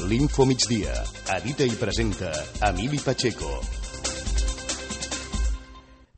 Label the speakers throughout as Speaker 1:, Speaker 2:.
Speaker 1: L'Info Migdia. Edita i presenta Emili Pacheco.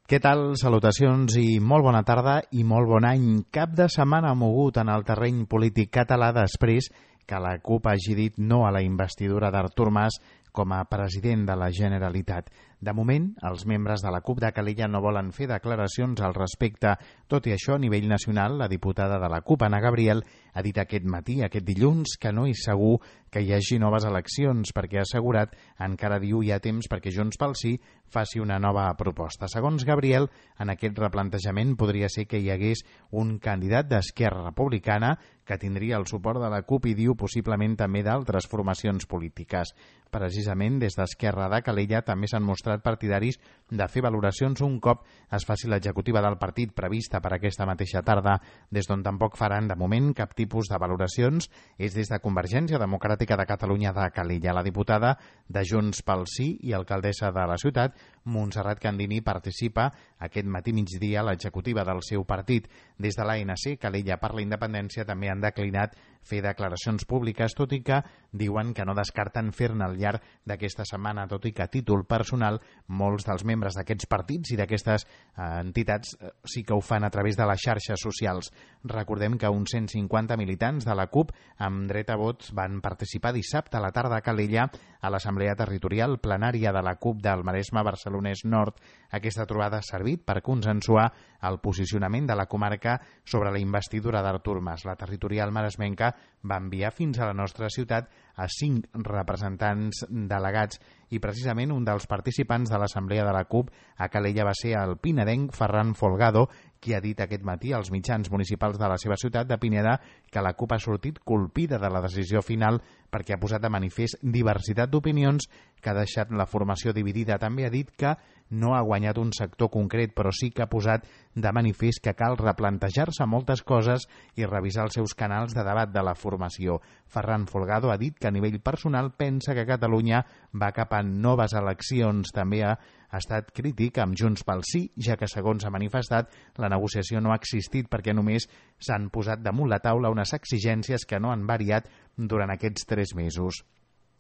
Speaker 2: Què tal? Salutacions i molt bona tarda i molt bon any. Cap de setmana mogut en el terreny polític català després que la CUP hagi dit no a la investidura d'Artur Mas com a president de la Generalitat. De moment, els membres de la CUP de Calella no volen fer declaracions al respecte. Tot i això, a nivell nacional, la diputada de la CUP, Anna Gabriel, ha dit aquest matí, aquest dilluns, que no és segur que hi hagi noves eleccions, perquè ha assegurat, encara diu hi ha temps perquè Junts pel Sí faci una nova proposta. Segons Gabriel, en aquest replantejament podria ser que hi hagués un candidat d'Esquerra Republicana que tindria el suport de la CUP i diu possiblement també d'altres formacions polítiques. Precisament des d'Esquerra de Calella també s'han mostrat partidaris de fer valoracions un cop es faci l'executiva del partit prevista per aquesta mateixa tarda, des d'on tampoc faran de moment cap tipus de valoracions és des de Convergència Democràtica de Catalunya de Calella. La diputada de Junts pel Sí i alcaldessa de la ciutat, Montserrat Candini, participa aquest matí migdia a l'executiva del seu partit. Des de l'ANC, Calella per la Independència també han declinat fer declaracions públiques, tot i que diuen que no descarten fer-ne al llarg d'aquesta setmana, tot i que a títol personal molts dels membres d'aquests partits i d'aquestes entitats sí que ho fan a través de les xarxes socials. Recordem que uns 150 militants de la CUP amb dret a vot van participar dissabte a la tarda a Calella a l'Assemblea Territorial Plenària de la CUP del Maresme Barcelonès Nord. Aquesta trobada ha servit per consensuar el posicionament de la comarca sobre la investidura d'Artur Mas. La territorial maresmenca va enviar fins a la nostra ciutat a 5 representants delegats i precisament un dels participants de l'Assemblea de la CUP a Calella va ser el pinedenc Ferran Folgado, qui ha dit aquest matí als mitjans municipals de la seva ciutat de Pineda que la CUP ha sortit colpida de la decisió final perquè ha posat de manifest diversitat d'opinions que ha deixat la formació dividida. També ha dit que no ha guanyat un sector concret, però sí que ha posat de manifest que cal replantejar-se moltes coses i revisar els seus canals de debat de la formació. Ferran Folgado ha dit que a nivell personal pensa que Catalunya va cap a noves eleccions. També ha estat crític amb Junts pel Sí, ja que, segons ha manifestat, la negociació no ha existit perquè només s'han posat damunt la taula unes exigències que no han variat durant aquests 3 mesos.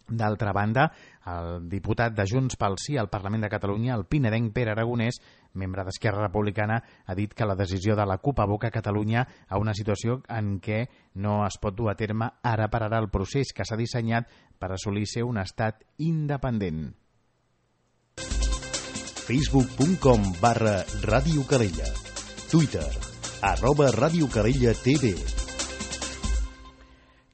Speaker 2: D'altra banda, el diputat de Junts pel Sí al Parlament de Catalunya, el pinedenc Pere Aragonès, membre d'Esquerra Republicana, ha dit que la decisió de la CUP aboca Catalunya a una situació en què no es pot dur a terme ara per ara el procés que s'ha dissenyat per assolir ser un estat independent.
Speaker 1: Facebook.com/Ràdio Calella. Twitter @Ràdio Calella TV.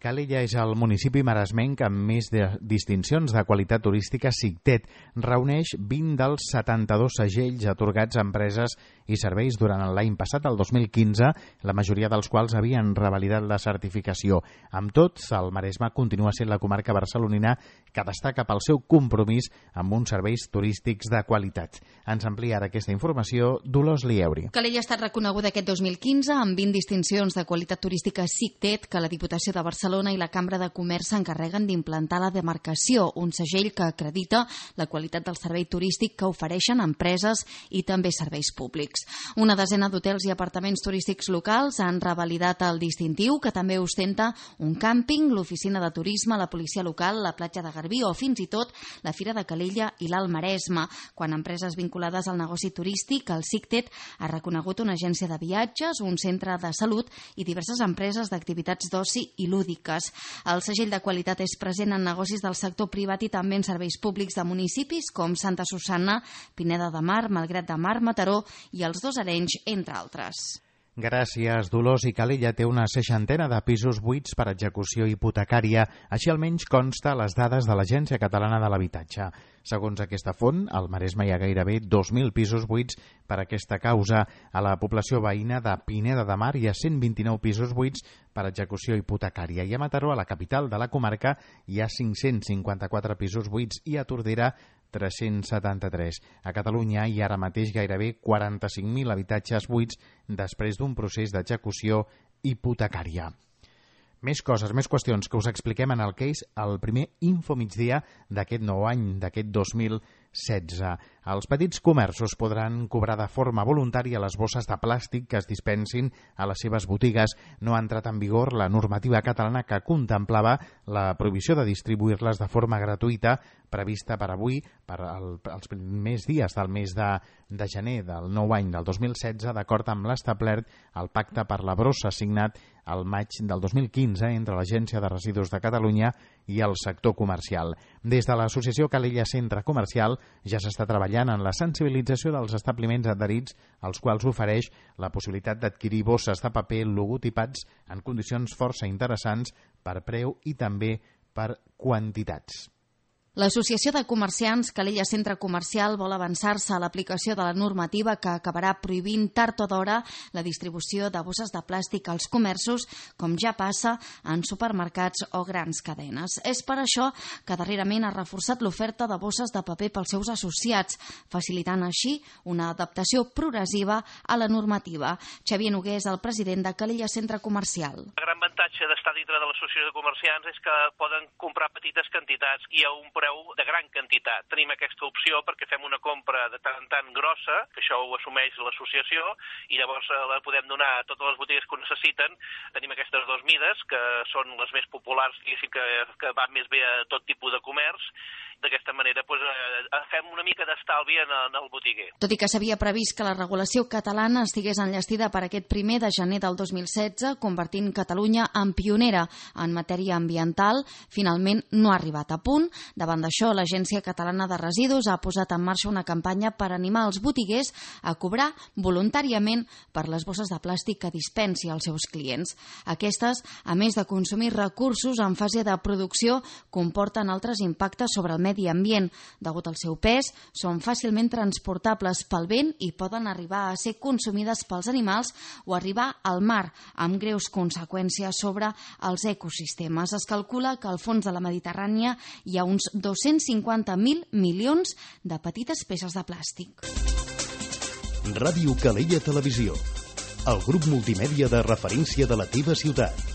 Speaker 2: Calella és el municipi maresmenc amb més de distincions de qualitat turística SICTET. Reuneix 20 dels 72 segells atorgats a empreses i serveis durant l'any passat, el 2015, la majoria dels quals havien revalidat la certificació. Amb tot, el Maresme continua sent la comarca barcelonina que destaca pel seu compromís amb uns serveis turístics de qualitat. Ens amplia ara aquesta informació Dolors Lieuri.
Speaker 3: Calella ha estat reconeguda aquest 2015 amb 20 distincions de qualitat turística SICTET que la Diputació de Barcelona i la Cambra de Comerç s'encarreguen d'implantar la demarcació, un segell que acredita la qualitat del servei turístic que ofereixen empreses i també serveis públics. Una desena d'hotels i apartaments turístics locals han revalidat el distintiu, que també ostenta un càmping, l'oficina de turisme, la policia local, la platja de Garbí o fins i tot la Fira de Calella i l'Alt Maresme. Quan empreses vinculades al negoci turístic, el SICTET ha reconegut una agència de viatges, un centre de salut i diverses empreses d'activitats d'oci i lúdic. El segell de qualitat és present en negocis del sector privat i també en serveis públics de municipis com Santa Susanna, Pineda de Mar, Malgrat de Mar, Mataró i els Dos Arenys, entre altres.
Speaker 2: Gràcies, Dolors. I Calella té una 60ena de pisos buits per execució hipotecària. Així almenys consta a les dades de l'Agència Catalana de l'Habitatge. Segons aquesta font, al Maresme hi ha gairebé 2.000 pisos buits per aquesta causa. A la població veïna de Pineda de Mar hi ha 129 pisos buits per execució hipotecària. I a Mataró, a la capital de la comarca, hi ha 554 pisos buits i a Tordera 373. A Catalunya hi ha ara mateix gairebé 45.000 habitatges buits després d'un procés d'execució hipotecària. Més coses, més qüestions que us expliquem en el que és el primer Info Migdia d'aquest nou any, d'aquest 2016. 2016. Els petits comerços podran cobrar de forma voluntària les bosses de plàstic que es dispensin a les seves botigues. No ha entrat en vigor la normativa catalana que contemplava la prohibició de distribuir-les de forma gratuïta prevista per avui, per als primers dies del mes de gener del nou any del 2016, d'acord amb l'establert al Pacte per la Brossa signat al maig del 2015 entre l'Agència de Residus de Catalunya i el sector comercial. Des de l'associació Calella Centre Comercial ja s'està treballant en la sensibilització dels establiments adherits, als quals ofereix la possibilitat d'adquirir bosses de paper logotipats en condicions força interessants per preu i també per quantitats.
Speaker 3: L'Associació de Comerciants Calella Centre Comercial vol avançar-se a l'aplicació de la normativa que acabarà prohibint tard o d'hora la distribució de bosses de plàstic als comerços, com ja passa en supermercats o grans cadenes. És per això que darrerament ha reforçat l'oferta de bosses de paper pels seus associats, facilitant així una adaptació progressiva a la normativa. Xavier Noguer és el president de Calella Centre Comercial.
Speaker 4: El gran avantatge d'estar dintre de l'Associació de Comerciants és que poden comprar petites quantitats i a un preu de gran quantitat. Tenim aquesta opció perquè fem una compra de tant en tant grossa, que això ho assumeix l'associació, i llavors la podem donar a totes les botigues que ho necessiten. Tenim aquestes dues mides, que són les més populars, diguéssim, que van més bé a tot tipus de comerç. D'aquesta manera fem una mica d'estalvi en el botiguer.
Speaker 3: Tot i que s'havia previst que la regulació catalana estigués enllestida per aquest 1 de gener del 2016, convertint Catalunya en pionera en matèria ambiental, finalment no ha arribat a punt. Davant d'això, l'Agència Catalana de Residus ha posat en marxa una campanya per animar els botiguers a cobrar voluntàriament per les bosses de plàstic que dispensi als seus clients. Aquestes, a més de consumir recursos en fase de producció, comporten altres impactes sobre el medi ambient. Degut al seu pes, són fàcilment transportables pel vent i poden arribar a ser consumides pels animals o arribar al mar, amb greus conseqüències sobre els ecosistemes. Es calcula que al fons de la Mediterrània hi ha uns 250.000 milions de petites peces de plàstic.
Speaker 1: Ràdio Calella Televisió, el grup multimèdia de referència de la teva ciutat.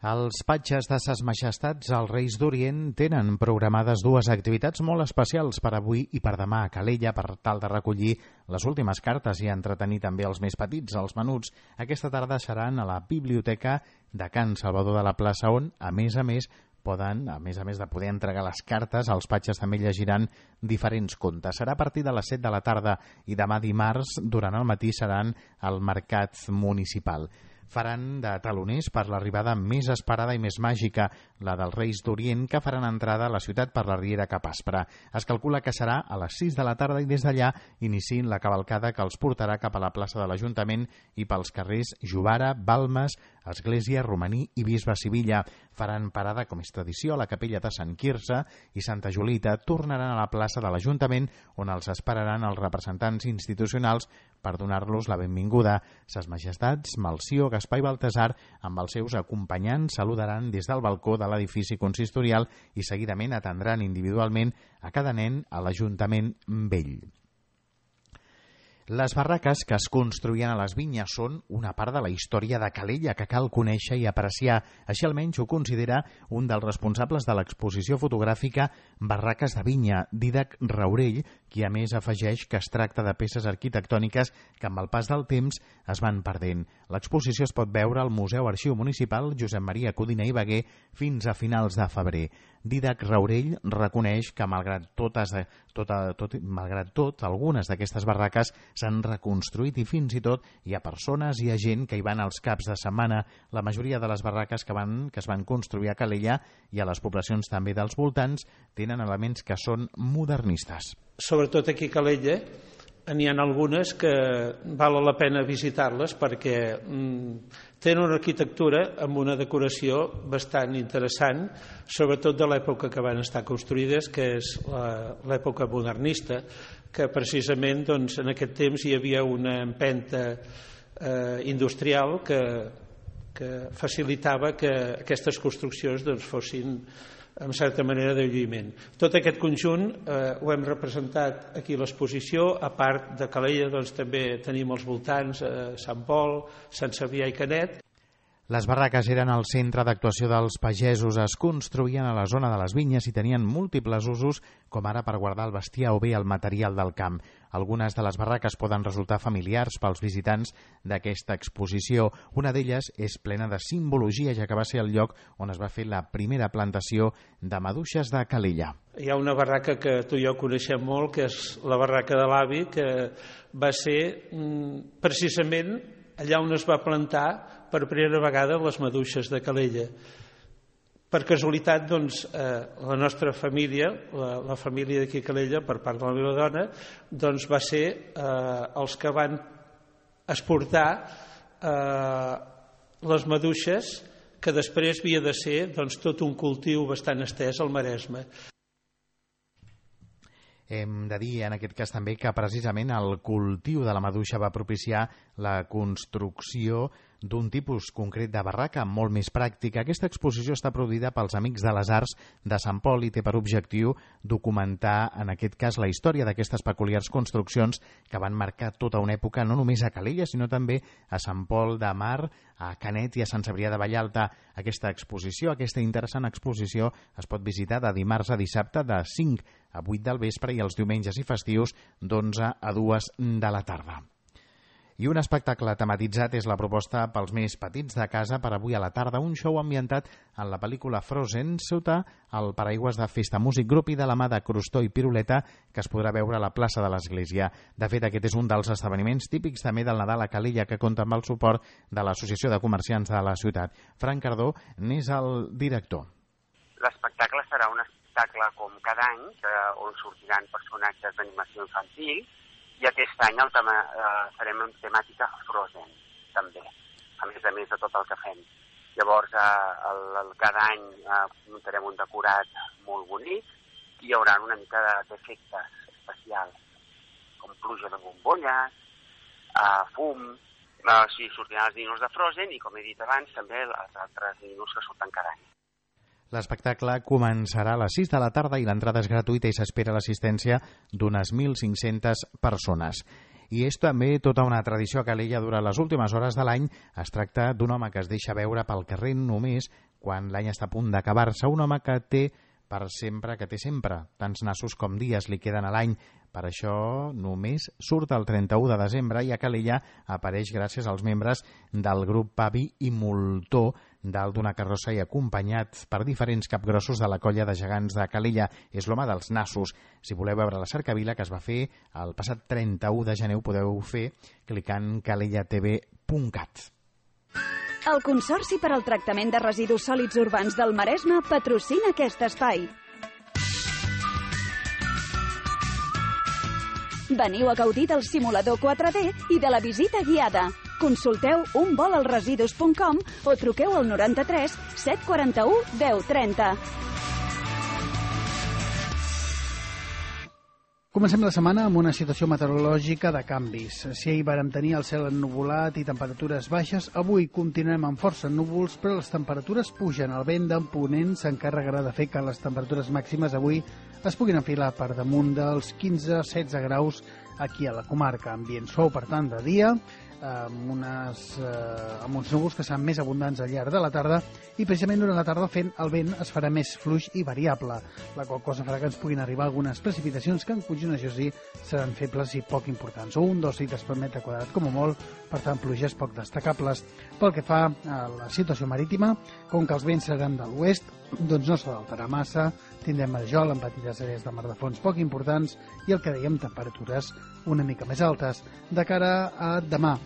Speaker 2: Els patges de Ses Majestats, els Reis d'Orient, tenen programades dues activitats molt especials per avui i per demà a Calella per tal de recollir les últimes cartes i entretenir també els més petits, els menuts. Aquesta tarda seran a la Biblioteca de Can Salvador de la Plaça, on, a més de poder entregar les cartes, els patges també llegiran diferents contes. Serà a partir de les 7 de la tarda i demà dimarts, durant el matí, seran al Mercat Municipal. Faran de taloners per l'arribada més esperada i més màgica, la dels Reis d'Orient, que faran entrada a la ciutat per la Riera cap aspre. Es calcula que serà a les 6 de la tarda i des d'allà iniciïn la cavalcada que els portarà cap a la plaça de l'Ajuntament i pels carrers Jovara, Balmes, Església, Romaní i Bisbe Sivilla. Faran parada, com és tradició, a la capella de Sant Quirze i Santa Julita. Tornaran a la plaça de l'Ajuntament, on els esperaran els representants institucionals per donar-los la benvinguda. Ses Majestats, Melcior, Gaspar i Baltasar, amb els seus acompanyants, saludaran des del balcó de l'edifici consistorial i seguidament atendran individualment a cada nen a l'Ajuntament Vell. Les barraques que es construïen a les vinyes són una part de la història de Calella que cal conèixer i apreciar. Així almenys ho considera un dels responsables de l'exposició fotogràfica Barraques de Vinya, Dídac Raurell, qui a més afegeix que es tracta de peces arquitectòniques que amb el pas del temps es van perdent. L'exposició es pot veure al Museu Arxiu Municipal Josep Maria Codina i Baguer fins a finals de febrer. Dídac Raurell reconeix que, malgrat tot, algunes d'aquestes barraques s'han reconstruït i fins i tot hi ha persones i hi ha gent que hi van als caps de setmana. La majoria de les barraques que es van construir a Calella i a les poblacions també dels voltants tenen elements que són modernistes.
Speaker 5: Sobretot aquí a Calella n'hi ha algunes que val la pena visitar-les perquè tenen una arquitectura amb una decoració bastant interessant, sobretot de l'època que van estar construïdes, que és l'època modernista, que precisament en aquest temps hi havia una empenta industrial que facilitava que aquestes construccions fossin en certa manera de lluïment. Tot aquest conjunt ho hem representat aquí a l'exposició. A part de Calella també tenim els voltants Sant Pol, Sant Cebrià i Canet.
Speaker 2: Les barraques eren el centre d'actuació dels pagesos, es construïen a la zona de les vinyes i tenien múltiples usos, com ara per guardar el bestiar o bé el material del camp. Algunes de les barraques poden resultar familiars pels visitants d'aquesta exposició. Una d'elles és plena de simbologia, ja que va ser el lloc on es va fer la primera plantació de maduixes de Calella.
Speaker 5: Hi ha una barraca que tu i jo coneixem molt, que és la barraca de l'avi, que va ser precisament allà on es va plantar per primera vegada les maduixes de Calella. Per casualitat, doncs, la nostra família, la família d'aquí a Calella, per part de la meva dona, doncs va ser els que van exportar les maduixes, que després havia de ser doncs, tot un cultiu bastant estès al Maresme.
Speaker 2: Hem de dir en aquest cas també que precisament el cultiu de la maduixa va propiciar la construcció d'un tipus concret de barraca molt més pràctica. Aquesta exposició està produïda pels Amics de les Arts de Sant Pol i té per objectiu documentar, en aquest cas, la història d'aquestes peculiars construccions que van marcar tota una època, no només a Calella, sinó també a Sant Pol de Mar, a Canet i a Sant Cebrià de Vallalta. Aquesta exposició, aquesta interessant exposició, es pot visitar de dimarts a dissabte de 5 a 8 del vespre i els diumenges i festius d'11 a 2 de la tarda. I un espectacle tematitzat és la proposta pels més petits de casa per avui a la tarda, un show ambientat en la pel·lícula Frozen sota el paraigües de Festa Músic Grup i de la mà de Crostó i Piruleta, que es podrà veure a la plaça de l'Església. De fet, aquest és un dels esdeveniments típics també del Nadal a Calella, que compta amb el suport de l'Associació de Comerciants de la ciutat. Frank Cardó n'és el director.
Speaker 6: L'espectacle serà un espectacle com cada any, on sortiran personatges d'animació infantil, i aquest any farem en temàtica Frozen, també, a més de tot el que fem. Llavors, cada any muntarem un decorat molt bonic i hi haurà una mica d'efectes especials, com pluja de bombolles, fum, així sortiran els ninos de Frozen i, com he dit abans, també els altres ninos que surten cada any.
Speaker 2: L'espectacle començarà a les 6 de la tarda i l'entrada és gratuïta i s'espera l'assistència d'unes 1.500 persones. I és també tota una tradició a Calella durant les últimes hores de l'any. Es tracta d'un home que es deixa veure pel carrer només quan l'any està a punt d'acabar-se, un home que té sempre, tants nassos com dies li queden a l'any. Per això només surt el 31 de desembre i a Calella apareix gràcies als membres del grup Pavi i Moltó dalt d'una carrossa i acompanyat per diferents capgrossos de la colla de gegants de Calella. És l'home dels nassos. Si voleu veure la cercavila que es va fer el passat 31 de gener ho podeu fer clicant calellatv.cat.
Speaker 7: El Consorci per al Tractament de Residus Sòlids Urbans del Maresme patrocina aquest espai. Veniu a gaudir del simulador 4D i de la visita guiada. Consulteu unvolalresidus.com o truqueu al 93 741 1030.
Speaker 8: Comencem la setmana amb una situació meteorològica de canvis. Si ahir vàrem tenir el cel ennuvolat i temperatures baixes, avui continuem amb força núvols, però les temperatures pugen. El vent de ponent s'encarregarà de fer que les temperatures màximes avui es puguin enfilar per damunt dels 15-16 graus aquí a la comarca. Ambient suau, per tant, de dia, amb uns núvols que seran més abundants al llarg de la tarda i precisament durant la tarda el vent es farà més fluix i variable, la qual cosa farà que ens puguin arribar algunes precipitacions que en conjunt, això sí, seran febles i poc importants, o 1-2 litres per metre quadrat com a molt, per tant pluges poc destacables. Pel que fa a la situació marítima, com que els vents seran de l'oest, doncs no s'ha d'alterar massa, tindrem marjol amb petites àrees de mar de fons poc importants i el que dèiem, temperatures una mica més altes. De cara a demà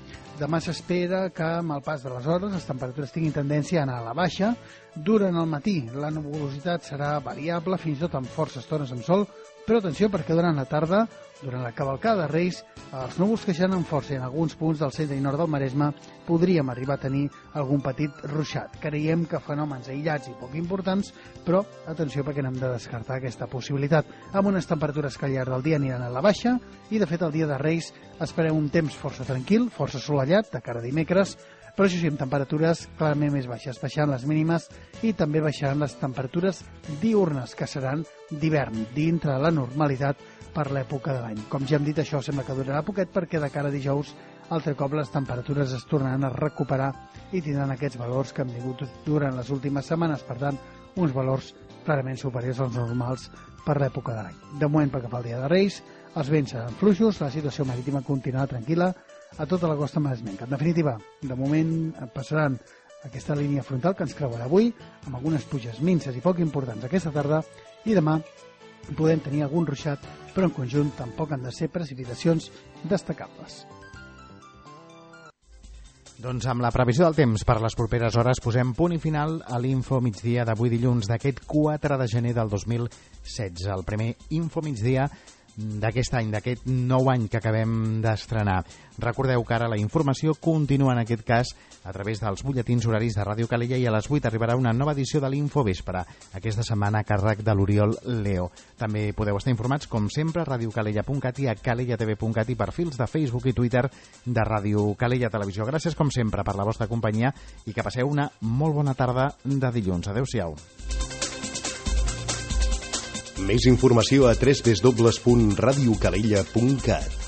Speaker 8: s'espera que amb el pas de les hores les temperatures tinguin tendència a anar a la baixa. Durant el matí la nuvolositat serà variable, fins i tot amb forces estones amb sol, però atenció perquè durant la tarda, durant la cavalcada de Reis, els núvols creixeran amb força i en alguns punts del centre i nord del Maresme podríem arribar a tenir algun petit ruixat. Creiem que fenòmens aïllats i poc importants, però atenció perquè n'hem de descartar aquesta possibilitat. Amb unes temperatures que al llarg del dia aniran a la baixa i de fet el dia de Reis esperem un temps força tranquil, força assolellat de cara a dimecres, però això sí, amb temperatures clarament més baixes, baixant les mínimes i també baixaran les temperatures diurnes, que seran d'hivern, dintre de la normalitat per l'època de l'any. Com ja hem dit, això sembla que durarà poquet perquè de cara a dijous altre cop les temperatures es tornaran a recuperar i tindran aquests valors que han tingut durant les últimes setmanes, per tant, uns valors clarament superiors als normals per l'època de l'any. De moment, pel que fa al dia de Reis, els vents seran fluixos, la situació marítima continuarà tranquil·la a tota la costa maresmenca. En definitiva, de moment passaran aquesta línia frontal que ens creuarà avui, amb algunes pluges minces i poc importants aquesta tarda, i demà podem tenir algun ruixat, però en conjunt tampoc han de ser precipitacions destacables.
Speaker 2: Doncs amb la previsió del temps per les properes hores posem punt i final a l'Info Migdia d'avui dilluns d'aquest 4 de gener del 2016, el primer Info Migdia d'aquest any, d'aquest nou any que acabem d'estrenar. Recordeu que ara la informació continua en aquest cas a través dels butlletins horaris de Ràdio Calella i a les 8 arribarà una nova edició de l'Info Vespre, aquesta setmana a càrrec de l'Oriol Leo. També podeu estar informats, com sempre, a radiocalella.cat i a calellatv.cat i perfils de Facebook i Twitter de Ràdio Calella Televisió. Gràcies, com sempre, per la vostra companyia i que passeu una molt bona tarda de dilluns. Adéu-siau.
Speaker 1: Més informació a www.radiocalella.cat.